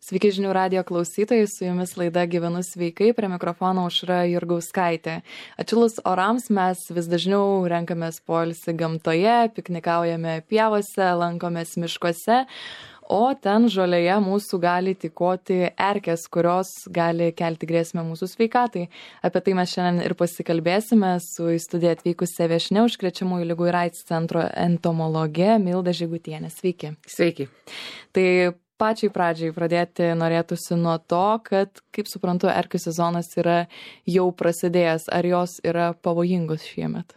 Sveiki žinių radijo klausytojai, su jumis laida Gyvenu sveikai, prie mikrofono Aušra Jurgauskaitė. Atšilus orams mes vis dažniau renkamės poilsį gamtoje, piknikaujame pievose, lankomės miškuose, o ten žolėje mūsų gali tykoti erkės, kurios gali kelti grėsmę mūsų sveikatai. Apie tai mes šiandien ir pasikalbėsime su į studiją atvykusia viešnia užkrečiamųjų ligų ir AIDS centro entomologė Milda Žygutienė. Sveiki. Sveiki. Tai pačiai pradžiai pradėti norėtųsi nuo to, kad, kaip suprantu, erkių sezonas yra jau prasidėjęs. Ar jos yra pavojingos šiemet?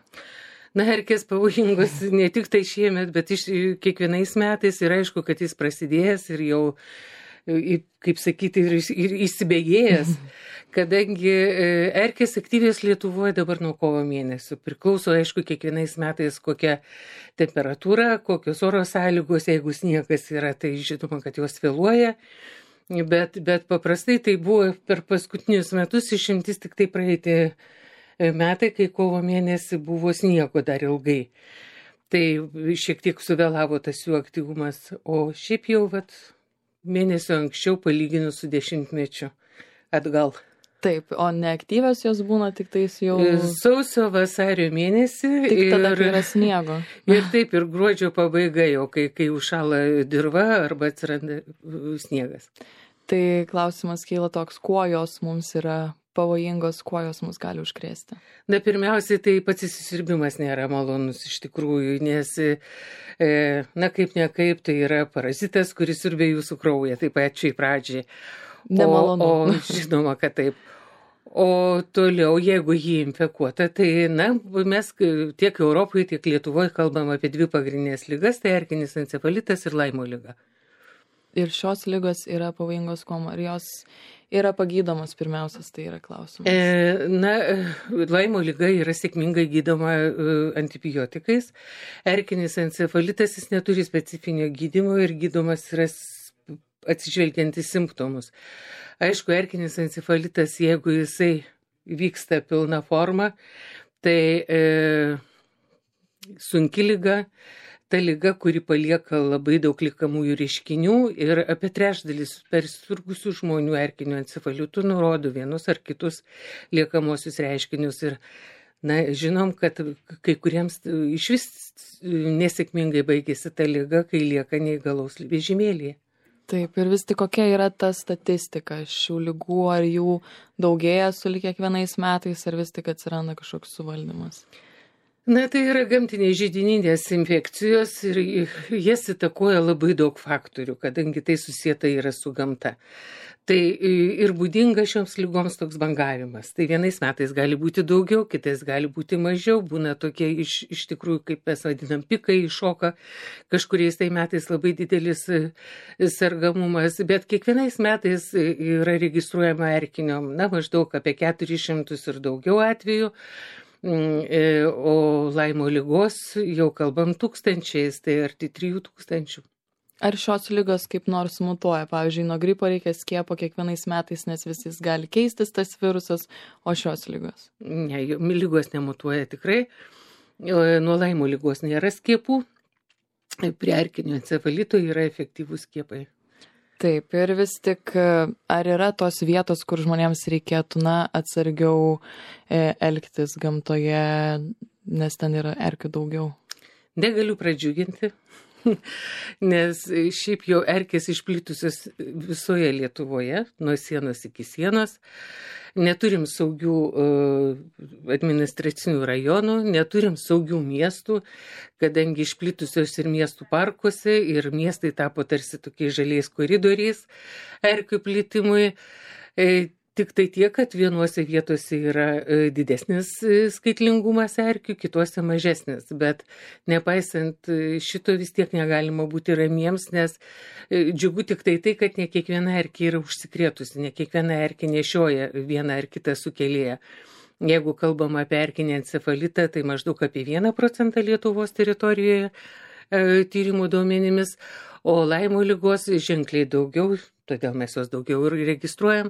Na, erkės pavojingos ne tik tai šiemet, bet kiekvienais metais ir aišku, kad jis prasidėjęs ir jau, kaip sakyti, ir įsibėgėjęs, kadangi erkės aktyvės Lietuvoje dabar nuo kovo mėnesio. Priklauso, aišku, kiekvienais metais kokia temperatūra, kokios oro sąlygos, jeigu sniegas yra, tai žinoma, kad jos vėluoja, bet paprastai tai buvo per paskutinius metus išimtis tik tai praeiti metai, kai kovo mėnesį buvo sniego dar ilgai. Tai šiek tiek suvėlavo tas jų aktyvumas, o šiaip jau mėnesio anksčiau palyginus su 10-mečiu atgal. Taip, o neaktyvios jos būna tik tais jau sausio vasario mėnesį. Tik tada, kai yra sniego. Ir taip, ir gruodžio pabaiga jau, kai užšąla dirva arba atsiranda sniegas. Tai klausimas kyla toks, kuo jos mums yra pavojingos, kuo jos mus gali užkrėsti? Na, pirmiausiai, tai pats įsisiurbimas nėra malonus iš tikrųjų, nes, na, kaip nekaip, tai yra parazitas, kuris siurbia jūsų kraują, taip pačiai pradžiai. Nemalonu. O žinoma, kad taip. O toliau, jeigu jį infekuota, tai, na, mes tiek Europoje, tiek Lietuvoje kalbam apie dvi pagrindinės ligas, tai erkinis encefalitas ir Laimo liga. Ir šios ligos yra pavojingos kuom? Ar jos yra pagydomos pirmiausias, tai yra klausimas? Na, Laimo liga yra sėkmingai gydoma antibiotikais. Erkinis encefalitas jis neturi specifinio gydymo ir gydomas yra atsižvelgiant į simptomus. Aišku, erkinis encefalitas, jeigu jisai vyksta pilna forma, tai sunki liga, ta liga, kuri palieka labai daug liekamųjų reiškinių ir apie trečdalis persirgusių žmonių erkiniu encefalitu nurodo vienus ar kitus liekamosius reiškinius. Ir, na, žinom, kad kai kuriems išvis nesėkmingai baigėsi ta liga, kai lieka neįgalaus vežimėlyje. Taip, ir vis tik kokia yra ta statistika šių ligų, ar jų daugėja sulig kiekvienais metais, ar vis tik atsiranda kažkoks suvaldymas? Na, tai yra gamtiniai židininės infekcijos ir jas įtakoja labai daug faktorių, kadangi tai susieta yra su gamta. Tai ir būdinga šioms lygoms toks bangavimas. Tai vienais metais gali būti daugiau, kitais gali būti mažiau, būna tokie iš tikrųjų, kaip mes vadinam, pikai iššoka, kažkuriais tai metais labai didelis sergamumas, bet kiekvienais metais yra registruojama erkinio, na, maždaug apie 400 ir daugiau atvejų. O Laimo ligos jau kalbam tūkstančiais, tai arti 3000. Ar šios ligos kaip nors mutuoja? Pavyzdžiui, nuo gripo reikia skiepo kiekvienais metais, nes vis jis gali keistis tas virusas, o šios ligos? Ne, ligos nemutuoja tikrai. Nuo Laimo ligos nėra skiepų, prie erkinio encefalito yra efektyvūs skiepai. Taip, ir vis tik, ar yra tos vietos, kur žmonėms reikėtų, na, atsargiau elgtis gamtoje, nes ten yra erkių daugiau? Negaliu pradžiuginti, nes šiaip jau erkės išplitusios visoje Lietuvoje, nuo sienos iki sienos. Neturim saugių administracinių rajonų, neturim saugių miestų, kadangi išplitusios ir miestų parkuose, ir miestai tapo tarsi tokiais žaliais koridoriais erkių plitimui. Tik tai tiek, kad vienuose vietose yra didesnis skaitlingumas erkių, kituose mažesnis. Bet nepaisant šito vis tiek negalima būti ramiems, nes džiugu tik tai, kad ne kiekviena erkė yra užsikrėtusi, ne kiekviena erkė nešioja vieną ar kitą sukėlėją. Jeigu kalbam apie erkinį encefalitą, tai maždaug apie 1% Lietuvos teritorijoje tyrimų duomenimis, o Laimo ligos ženkliai daugiau, todėl mes jos daugiau ir registruojam,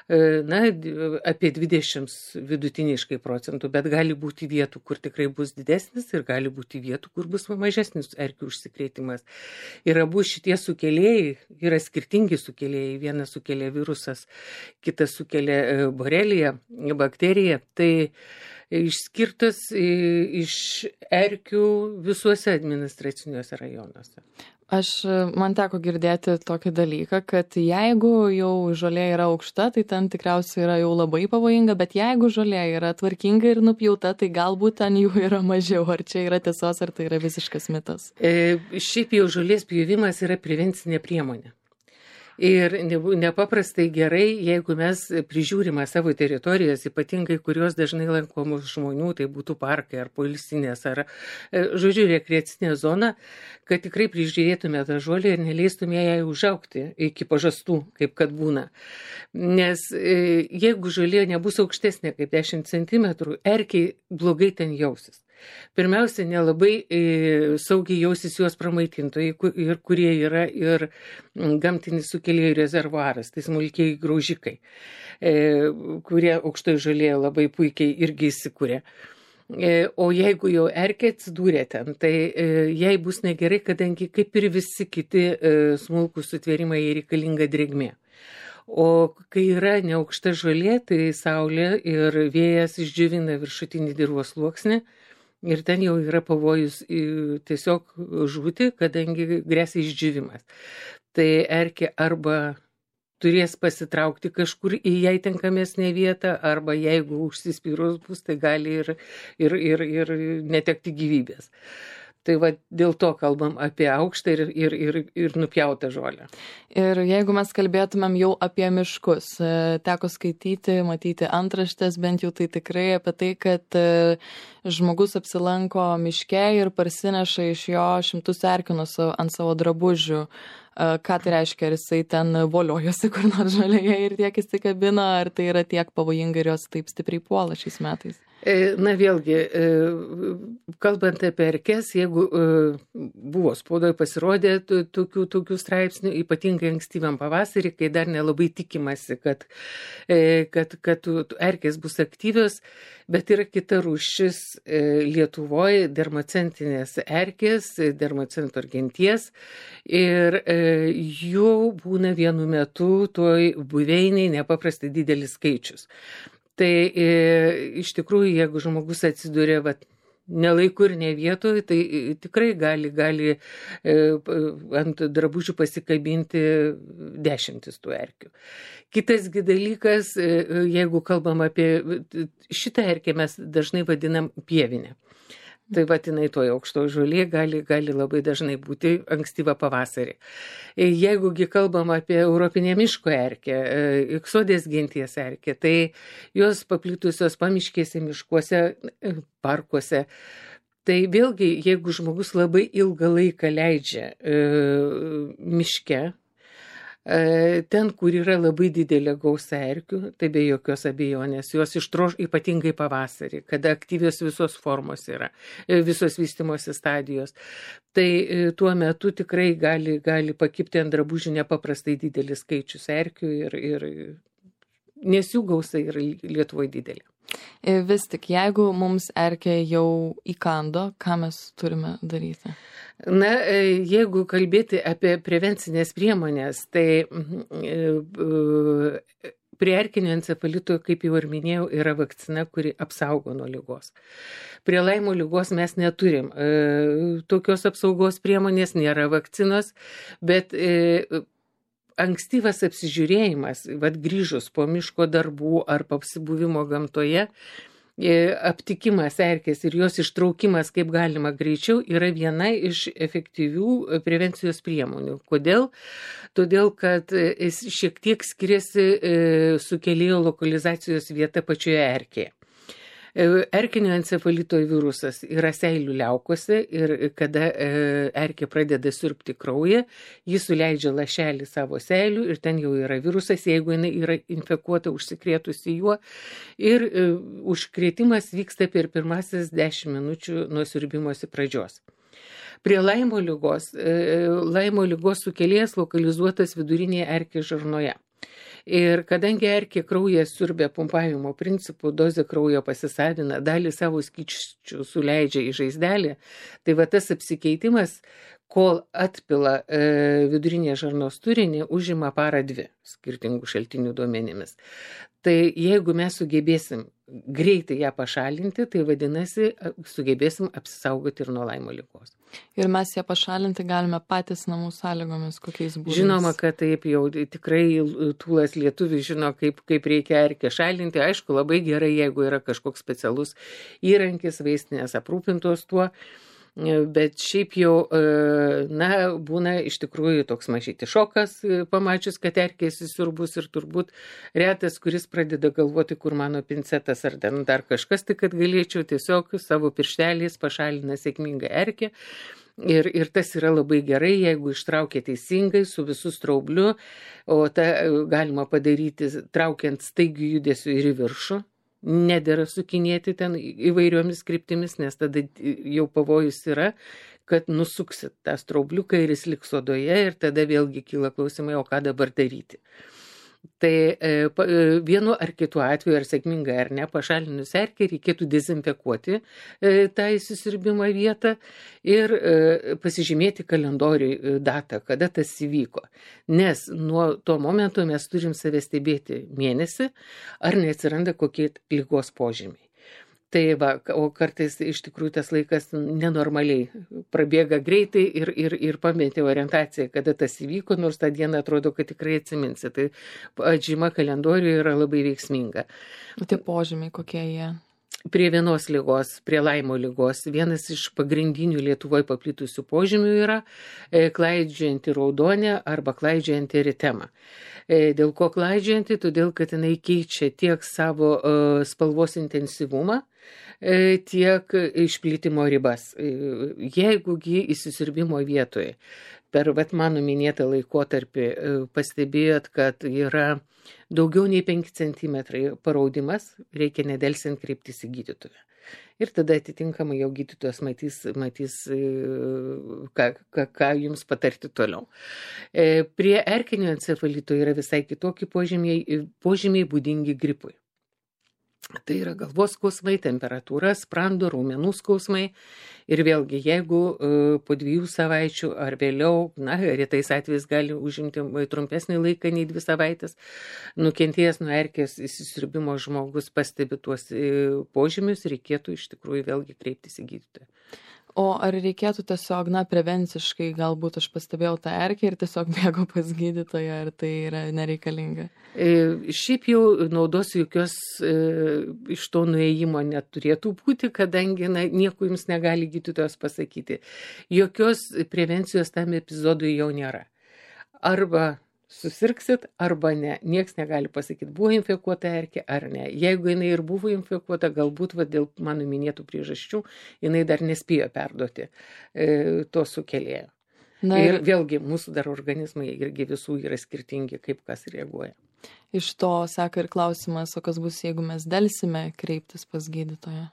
apie 20 vidutiniškai procentų, bet gali būti vietų, kur tikrai bus didesnis ir gali būti vietų, kur bus mažesnis erkių užsikrėtimas. Ir abu šitie sukėlėjai yra skirtingi sukėlėjai. Vienas sukelia virusas, kitas sukelia borelija, bakterija. Tai išskirtas iš erkių visuose administraciniuose rajonuose. Man teko girdėti tokį dalyką, kad jeigu jau žolė yra aukšta, tai ten tikriausiai yra jau labai pavojinga, bet jeigu žolė yra tvarkinga ir nupjauta, tai galbūt ten jų yra mažiau. Ar čia yra tiesos, ar tai yra visiškas mitas? Šiaip jau žolės pjovimas yra prevencinė priemonė. Ir nepaprastai gerai, jeigu mes prižiūrime savo teritorijas, ypatingai kurios dažnai lankomos žmonių, tai būtų parkai ar poilsinės, ar, rekreacinė zona, kad tikrai prižiūrėtume tą žolę ir neleistume jai užaugti iki pažastų, kaip kad būna. Nes jeigu žolė nebus aukštesnė kaip 10 cm, erkiai blogai ten jausis. Pirmiausia, nelabai saugiai jausis juos pramaitintojai, ir kurie yra ir gamtinis sukėlėjų rezervuaras, tai smulkiai graužikai, kurie aukštoje žolėje labai puikiai irgi įsikūrė. O jeigu jau erkė atsidūrė ten, tai jai bus negerai, kadangi kaip ir visi kiti smulkūs sutvėrimai reikalinga drėgmė. O kai yra neaukšta žolė, tai saulė ir vėjas išdžiovina viršutinį dirvos sluoksnį. Ir ten jau yra pavojus tiesiog žūti, kadangi grėsia išdžiūvimas. Tai erkė arba turės pasitraukti kažkur į jai tinkamesnę vietą, arba jeigu užsispyrus bus, tai gali ir netekti gyvybės. Tai va, dėl to kalbam apie aukštą ir nupjautą žolę. Ir jeigu mes kalbėtumėm jau apie miškus, teko skaityti, matyti antraštės, bent jau tai tikrai apie tai, kad žmogus apsilanko miške ir parsineša iš jo šimtus erkių ant savo drabužių. Ką tai reiškia, ar jisai ten voliojosi kur nors žolėje ir tiek įsikabina, ar tai yra tiek pavojinga ir jos taip stipriai puola šiais metais? Na vėlgi, kalbant apie erkes, jeigu buvo spaudoje pasirodė tokių straipsnių, ypatingai ankstyvam pavasarį, kai dar nelabai tikimasi, kad erkės bus aktyvios, bet yra kita rūšis Lietuvoje, dermacentinės erkės, dermacentor genties, ir jų būna vienu metu toj buveiniai nepaprastai didelis skaičius. Tai iš tikrųjų, jeigu žmogus atsiduria ne laiku ir ne vietoje, tai tikrai gali ant drabužių pasikabinti 10 tų erkių. Kitasgi dalykas, jeigu kalbam apie šitą erkę, mes dažnai vadinam pievinę. Tai vadinai toje aukštoje žolė gali labai dažnai būti ankstyvą pavasarį. Jeigugi kalbam apie europinę miško erkę, iksodės genties erkę, tai jos paplitusios pamiškėse, miškuose, parkuose. Tai vėlgi, jeigu žmogus labai ilgą laiką leidžia miške, ten, kur yra labai didelė gausa erkių, tai be jokios abejonės, jos ištroš ypatingai pavasarį, kada aktyvios visos formos yra, visos vystymosi stadijos. Tai tuo metu tikrai gali pakibti ant drabužių nepaprastai didelis skaičius erkių, nes jų gausa yra Lietuvoje didelė. Vis tik, jeigu mums erkė jau įkando, ką mes turime daryti? Na, jeigu kalbėti apie prevencinės priemonės, tai prie erkinio encefalito, kaip jau ir minėjau, yra vakcina, kuri apsaugo nuo ligos. Prie Laimo ligos mes neturim tokios apsaugos priemonės, nėra vakcinos, bet ankstyvas apsižiūrėjimas, grįžus po miško darbų ar apsibuvimo gamtoje, aptikimas erkės ir jos ištraukimas kaip galima greičiau yra viena iš efektyvių prevencijos priemonių. Kodėl? Todėl, kad jis šiek tiek skiriasi sukėlėjo lokalizacijos vieta pačioje erkėje. Erkinio encefalito virusas yra seilių liaukose ir kada erkė pradeda siurbti kraują, jis suleidžia lašelį savo seilių ir ten jau yra virusas, jeigu jinai yra infekuota, užsikrėtusi juo. Ir užkrėtimas vyksta per pirmasis 10 minučių nuo siurbimosi pradžios. Prie Laimo lygos sukėlėjas lokalizuotas vidurinėje erkės žarnoje. Ir kadangi erkė kraują siurbia pumpavimo principu, dozė kraujo pasisavina, dalį savo skysčių suleidžia į žaizdelį, tai va tas apsikeitimas, kol atpila vidurinės žarnos turinį, užima parą 2 skirtingų šaltinių duomenimis. Tai jeigu mes sugebėsim greitai ją pašalinti, tai vadinasi, sugebėsim apsisaugoti ir nuo Laimo lygos. Ir mes ją pašalinti galime patys namų sąlygomis, kokiais būdais? Žinoma, kad taip jau tikrai tūlas lietuvis žino, kaip reikia erkę šalinti. Aišku, labai gerai, jeigu yra kažkoks specialus įrankis, vaistinės aprūpintos tuo. Bet šiaip jau, būna iš tikrųjų toks mažyti šokas, pamačius, kad erkė įsisiurbus ir turbūt retas, kuris pradeda galvoti, kur mano pincetas ar dar kažkas, tai kad galėčiau tiesiog savo piršteliais pašalina sėkmingą erkę. Ir tas yra labai gerai, jeigu ištraukia teisingai su visų straubliu, o tą galima padaryti traukiant staigių judesių ir į viršų. Nedėra sukinėti ten įvairiomis kryptimis, nes tada jau pavojus yra, kad nusuksit tą straubliuką ir jis liks odoje ir tada vėlgi kyla klausimai, o ką dabar daryti. Tai vienu ar kitu atveju, ar sėkmingai ar ne, pašalinus erkę reikėtų dezinfekuoti tą įsisiurbimo vietą ir pasižymėti kalendoriui datą, kada tas įvyko. Nes nuo to momento mes turim save stebėti mėnesį, ar neatsiranda kokie ligos požymiai. Tai va, o kartais iš tikrųjų tas laikas nenormaliai prabėga greitai ir pameti orientaciją, kada tas įvyko, nors tą dieną atrodo, kad tikrai atsiminsi. Tai atžyma kalendoriuje yra labai veiksminga. O tie požymiai kokie jie? Prie vienos lygos, prie Laimo lygos, vienas iš pagrindinių Lietuvoje paplitusių požymių yra klaidžiojanti raudonė arba klaidžiojanti eritema. Dėl ko klaidžiojanti? Todėl, kad jinai keičia tiek savo spalvos intensyvumą, tiek išplitimo ribas. Jeigu įsisiurbimo vietoje per mano minėtą laikotarpį pastebėjot, kad yra daugiau nei 5 cm paraudimas, reikia nedelsiant kreiptis į gydytoją. Ir tada atitinkamai jau gydytojas matys ką jums patarti toliau. Prie erkinio encefalito yra visai kitokie požymiai būdingi gripui. Tai yra galvos skausmai, temperatūra, sprando, raumenų skausmai. Ir vėlgi, jeigu po 2 savaičių ar vėliau, retais atvejais gali užimti trumpesnį laiką nei 2 savaitės, nukentėjęs nuo erkės įsisiurbimo žmogus pastebi tuos požymius, reikėtų iš tikrųjų vėlgi kreiptis į gydytoją. O ar reikėtų tiesiog, prevenciškai, galbūt aš pastebėjau tą erkę ir tiesiog bėgo pas gydytoją, ar tai yra nereikalinga? Šiaip jau naudos jokios iš to nuėjimo neturėtų būti, kadangi nieko jums negali gydytojas pasakyti. Jokios prevencijos tam epizodui jau nėra. Arba susirgsit, arba ne. Niekas negali pasakyti, buvo infekuota erkė ar ne. Jeigu jinai ir buvo infekuota, galbūt dėl mano minėtų priežasčių, jinai dar nespėjo perduoti to sukėlėjo. Ir vėlgi, mūsų dar organizmai irgi visų yra skirtingi, kaip kas reaguoja. Iš to seka ir klausimas, o kas bus, jeigu mes delsime kreiptis pas gydytoją?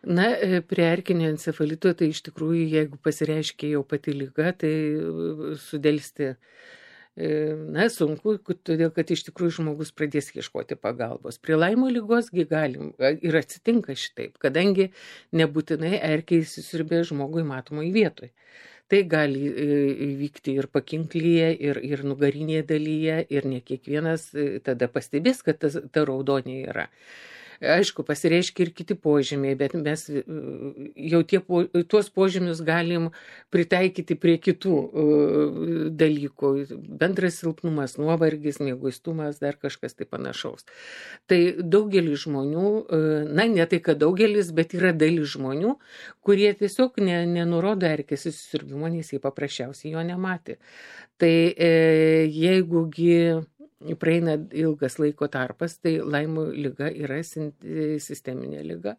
Prie erkinio encefalito, tai iš tikrųjų, jeigu pasireiškia jau pati liga, tai sudelsti sunku, todėl kad iš tikrųjų žmogus pradės ieškoti pagalbos. Prie Laimo lygosgi galim ir atsitinka šitaip, kadangi nebūtinai erkė įsisiurbė žmogui matomoj vietoj. Tai gali įvykti ir pakinklyje, ir nugarinėje dalyje, ir ne kiekvienas tada pastebės, kad ta raudonė yra. Aišku, pasireiškia ir kiti požymiai, bet mes jau tuos požymius galim pritaikyti prie kitų dalykų. Bendras silpnumas, nuovargis, mieguistumas, dar kažkas tai panašaus. Tai daugelis žmonių, ne tai kad daugelis, bet yra dalis žmonių, kurie tiesiog nenurodo erkės įsisiurbimo, nes jie paprasčiausiai jo nematė. Tai jeigugi praeina ilgas laiko tarpas, tai Laimo liga yra sisteminė liga,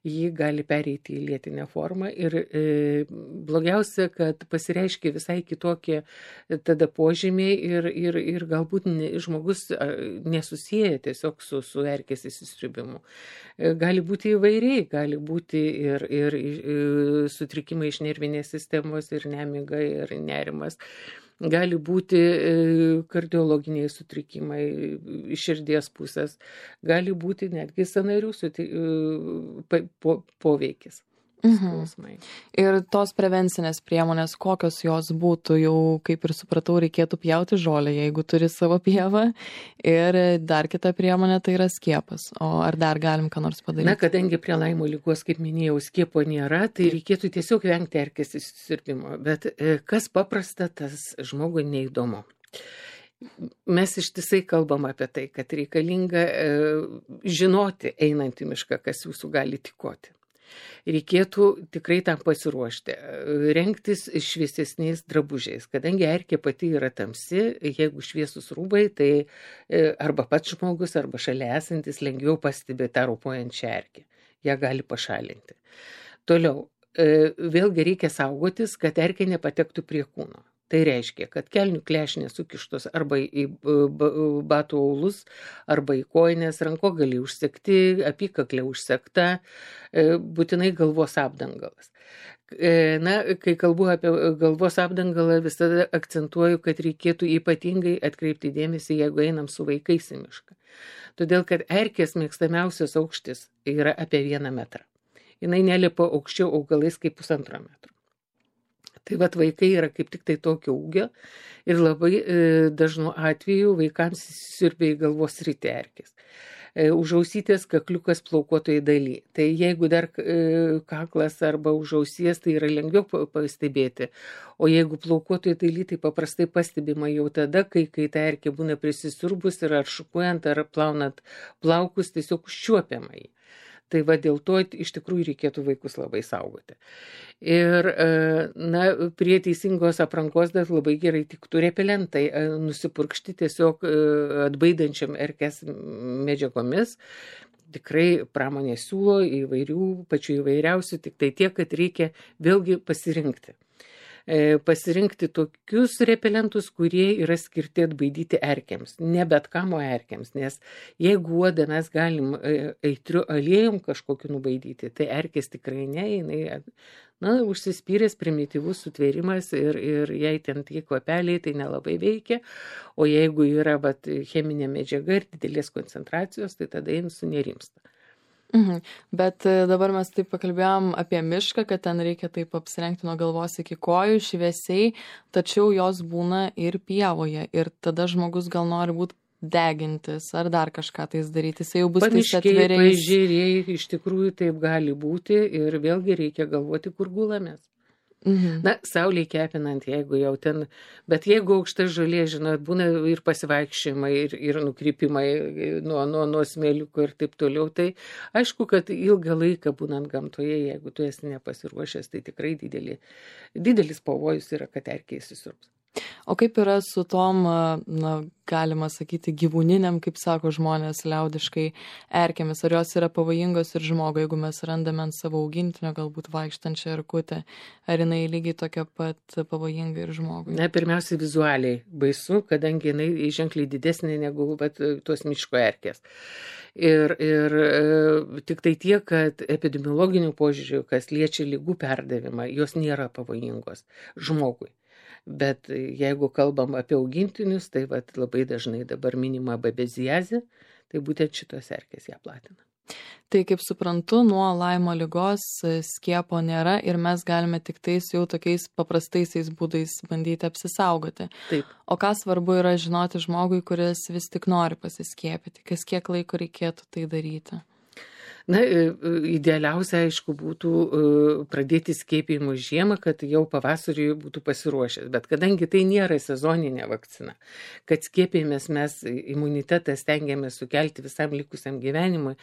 ji gali pereiti į lėtinę formą ir blogiausia, kad pasireiškia visai kitokie tada požymiai ir galbūt žmogus nesusiję tiesiog su erkės įsisiurbimu. Gali būti įvairiai, gali būti ir sutrikimai iš nervinės sistemos, ir nemiga, ir nerimas. Gali būti kardiologiniai sutrikimai iš širdies pusės, gali būti netgi sąnarių poveikis. Skausmai. Ir tos prevencinės priemonės, kokios jos būtų, jau kaip ir supratau, reikėtų pjauti žolę, jeigu turi savo pievą. Ir dar kita priemonė tai yra skiepas. O ar dar galim ką nors padaryti? Na, kadangi prie Laimo ligos, kaip minėjau, skiepo nėra, tai reikėtų tiesiog vengti erkės įsisiurbimo. Bet kas paprasta, tas žmogui neįdomu. Mes ištisai kalbam apie tai, kad reikalinga žinoti einant į mišką, kas jūsų gali tikoti. Reikėtų tikrai tam pasiruošti, rengtis šviesesniais drabužiais, kadangi erkė pati yra tamsi, jeigu šviesus rūbai, tai arba pats žmogus, arba šalia esantis lengviau pastebi tą rūpojančią erkę, ją gali pašalinti. Toliau, vėlgi reikia saugotis, kad erkė nepatektų prie kūno. Tai reiškia, kad kelnių klešnės sukištos arba į batų aulus, arba į kojines, rankogaliai užsegti, apykaklė užsegta, būtinai galvos apdangalas. Na, kai kalbu apie galvos apdangalą, visada akcentuoju, kad reikėtų ypatingai atkreipti dėmesį, jeigu einam su vaikais į mišką. Todėl, kad erkės mėgstamiausias aukštis yra apie 1 metrą. Jinai nelipa aukščiau augalais kaip 1,5 metro. Tai vat vaikai yra kaip tik tai tokio ūgio ir labai dažnu atveju vaikams įsisiurbia į galvos sritį erkės. Už ausytės kakliukas plaukuotoje daly. Tai jeigu dar kaklas arba už ausies, tai yra lengviau pastebėti. O jeigu plaukuotoje daly, tai paprastai pastebima jau tada, kai ta erkė būna prisisiurbus ir ar šukuojant, ar plaunant plaukus, tiesiog užčiuopiama jį. Tai va dėl to iš tikrųjų reikėtų vaikus labai saugoti. Ir na, prie teisingos aprangos dar labai gerai tiktų repelentai, nusipurkšti tiesiog atbaidančiam erkės medžiagomis. Tikrai pramonė siūlo įvairių, pačių įvairiausių, tik tai tiek, kad reikia vėlgi pasirinkti. Pasirinkti tokius repelentus, kurie yra skirti atbaidyti erkėms, ne bet kam erkėms, nes jeigu uodą mes galim aitriu aliejum kažkokiu nubaidyti, tai erkės tikrai ne, jinai užsispyręs primityvus sutvėrimas ir jei ten tie kvapeliai, tai nelabai veikia, o jeigu yra cheminė medžiaga ir didelės koncentracijos, tai tada jin sunerimsta. Bet dabar mes taip pakalbėjom apie mišką, kad ten reikia taip apsirengti nuo galvos iki kojų šviesiai, tačiau jos būna ir pievoje ir tada žmogus gal nori būti degintis ar dar kažką tais daryti, jisai jau bus tais atviriais. Paežeriai, iš tikrųjų taip gali būti ir vėlgi reikia galvoti, kur gulamės. Na, saulėj kepinant, jeigu jau ten, bet jeigu aukšta žolė, žinot, būna ir pasivaikščiojimai, ir nukrypimai nuo smėliuko ir taip toliau, tai aišku, kad ilgą laiką būnant gamtoje, jeigu tu esi nepasiruošęs, tai tikrai didelis pavojus yra, kad erkė įsisiurbs. O kaip yra su tom, galima sakyti, gyvūniniam, kaip sako žmonės liaudiškai, erkėmis? Ar jos yra pavojingos ir žmogui, jeigu mes randame ant savo augintinio, galbūt vaikštančią erkutę, ar jinai lygiai tokia pat pavojinga ir žmogui? Na, pirmiausia, vizualiai baisu, kadangi jinai ženkliai didesnė negu tos miško erkės. Ir tik tai tiek, kad epidemiologinių požiūrių, kas liečia ligų perdavimą, jos nėra pavojingos žmogui. Bet jeigu kalbam apie augintinius, tai labai dažnai dabar minima babeziazė, tai būtent šitos erkės ją platina. Tai kaip suprantu, nuo Laimo ligos skiepo nėra ir mes galime tik tais jau tokiais paprastaisiais būdais bandyti apsisaugoti. Taip. O ką svarbu yra žinoti žmogui, kuris vis tik nori pasiskiepyti, kas kiek laiko reikėtų tai daryti? Na, idealiausia, aišku, būtų pradėti skiepijimus žiemą, kad jau pavasarį būtų pasiruošęs. Bet kadangi tai nėra sezoninė vakcina, kad skiepijimės mes imunitetą stengiamės sukelti visam likusiam gyvenimui,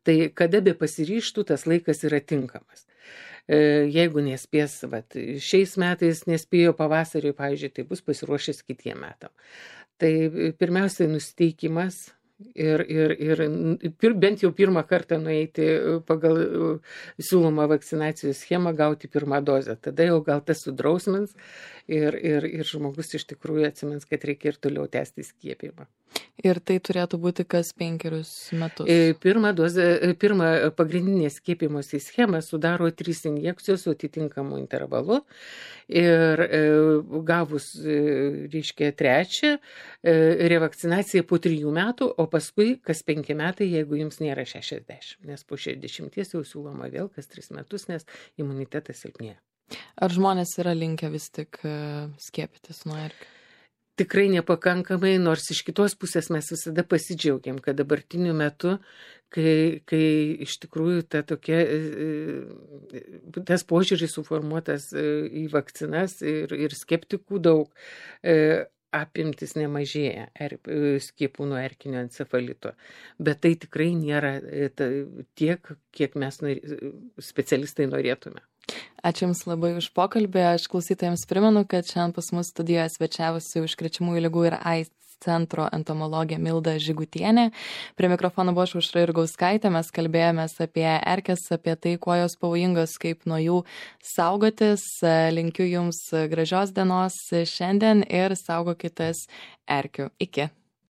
tai kada be pasiryštų, tas laikas yra tinkamas. Jeigu nespės, šiais metais nespėjo pavasarį, pavyzdžiui, tai bus pasiruošęs kitiem metam. Tai pirmiausiai nusiteikimas ir bent jau pirmą kartą nueiti pagal siūlomą vakcinacijos schemą, gauti pirmą dozę. Tada jau gal tas sudrausmins ir žmogus iš tikrųjų atsimins, kad reikia ir toliau tęsti skiepijimą. Ir tai turėtų būti kas 5 metus. Pirmą pagrindinę skiepimosi schemą sudaro 3 injekcijos su atitinkamu intervalu ir gavus, reiškia, 3, revakcinacija po 3 metų, o paskui kas 5 metai, jeigu jums nėra 60, nes po 60 jau siūloma vėl kas 3 metus, nes imunitetas silpnėja. Ar žmonės yra linkę vis tik skiepytis nuo erkių? Tikrai nepakankamai, nors iš kitos pusės mes visada pasidžiaugiam, kad dabartiniu metu, kai iš tikrųjų tas požiūris suformuotas į vakcinas ir skeptikų daug, apimtis nemažėja skiepų nuo erkinio encefalito. Bet tai tikrai nėra tiek, kiek mes specialistai norėtume. Ačiū Jums labai už pokalbį. Aš klausytojams primenu, kad šiandien pas mus studijoje svečiavosi užkrečiamųjų ligų ir AIDS centro entomologė Milda Žigutienė. Prie mikrofono buvo Aušra Jurgauskaitė. Mes kalbėjomės apie erkes, apie tai, kuo jos pavojingos, kaip nuo jų saugotis. Linkiu Jums gražios dienos šiandien ir saugokitės erkių. Iki.